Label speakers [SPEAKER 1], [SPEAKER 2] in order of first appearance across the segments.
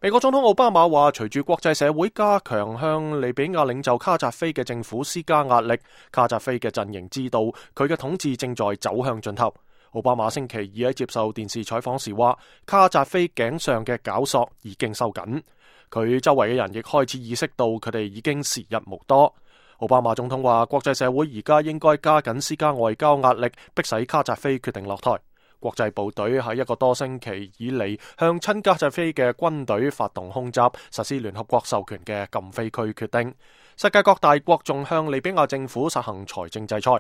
[SPEAKER 1] 美國總統奧巴馬話，隨住國際社會加強向利比亞領袖卡扎菲嘅政府施加壓力，卡扎菲嘅陣營知道佢嘅統治正在走向盡頭。奧巴馬星期二喺接受電視採訪時話，卡扎菲頸上嘅絞索已經收緊，佢周圍嘅人亦開始意識到佢哋已經時日無多。奧巴馬總統話，國際社會而家應該加緊施加外交壓力，迫使卡扎菲決定落台。國際部隊喺一個多星期以嚟向親卡扎菲嘅軍隊發動空襲，實施聯合國授權嘅禁飛區決定。世界各大國仲向利比亞政府實行財政制裁。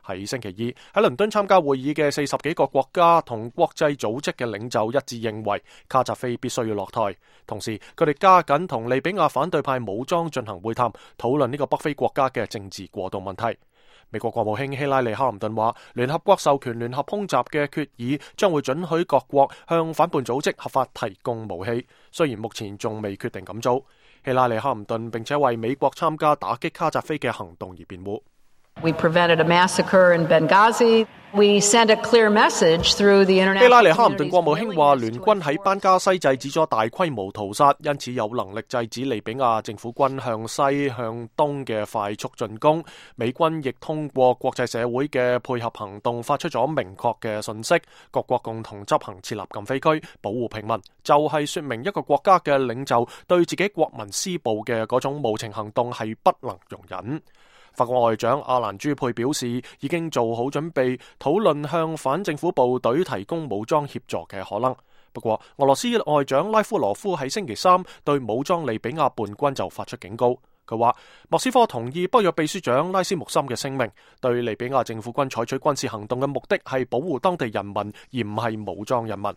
[SPEAKER 1] 喺星期二喺倫敦參加會議嘅40幾個國家同國際組織嘅領袖一致認為卡扎菲必須要落台，同時佢哋加緊同利比亞反對派武裝進行會談，討論呢個北非國家嘅政治過渡問題。美國國務卿希拉里·克林頓話，聯合國授權聯合空襲嘅決議將會准許各國向反叛組織合法提供武器，雖然目前仲未決定咁做。希拉里·克林頓並且為美國參加打擊卡扎菲嘅行動而辯護。
[SPEAKER 2] We prevented a massacre in Benghazi. We sent a clear message through the international.
[SPEAKER 1] 希拉里·克林頓國務卿話，聯軍喺班加西制止咗大規模屠殺，因此有能力制止利比亞政府軍向西向東嘅快速進攻。美軍亦通過國際社會嘅配合行動，發出咗明確嘅信息，各國共同執行設立禁飛區，保護平民，就係說明一個國家嘅領袖對自己國民施暴嘅嗰種無情行動係不能容忍。法國外長阿蘭朱佩表示，已經做好準備討論向反政府部隊提供武裝協助嘅可能。不過，俄羅斯外長拉夫羅夫喺星期三對武裝利比亞叛軍就發出警告。佢話，莫斯科同意北約秘書長拉斯穆森嘅聲明，對利比亞政府軍採取軍事行動嘅目的係保護當地人民，而唔係武裝人民。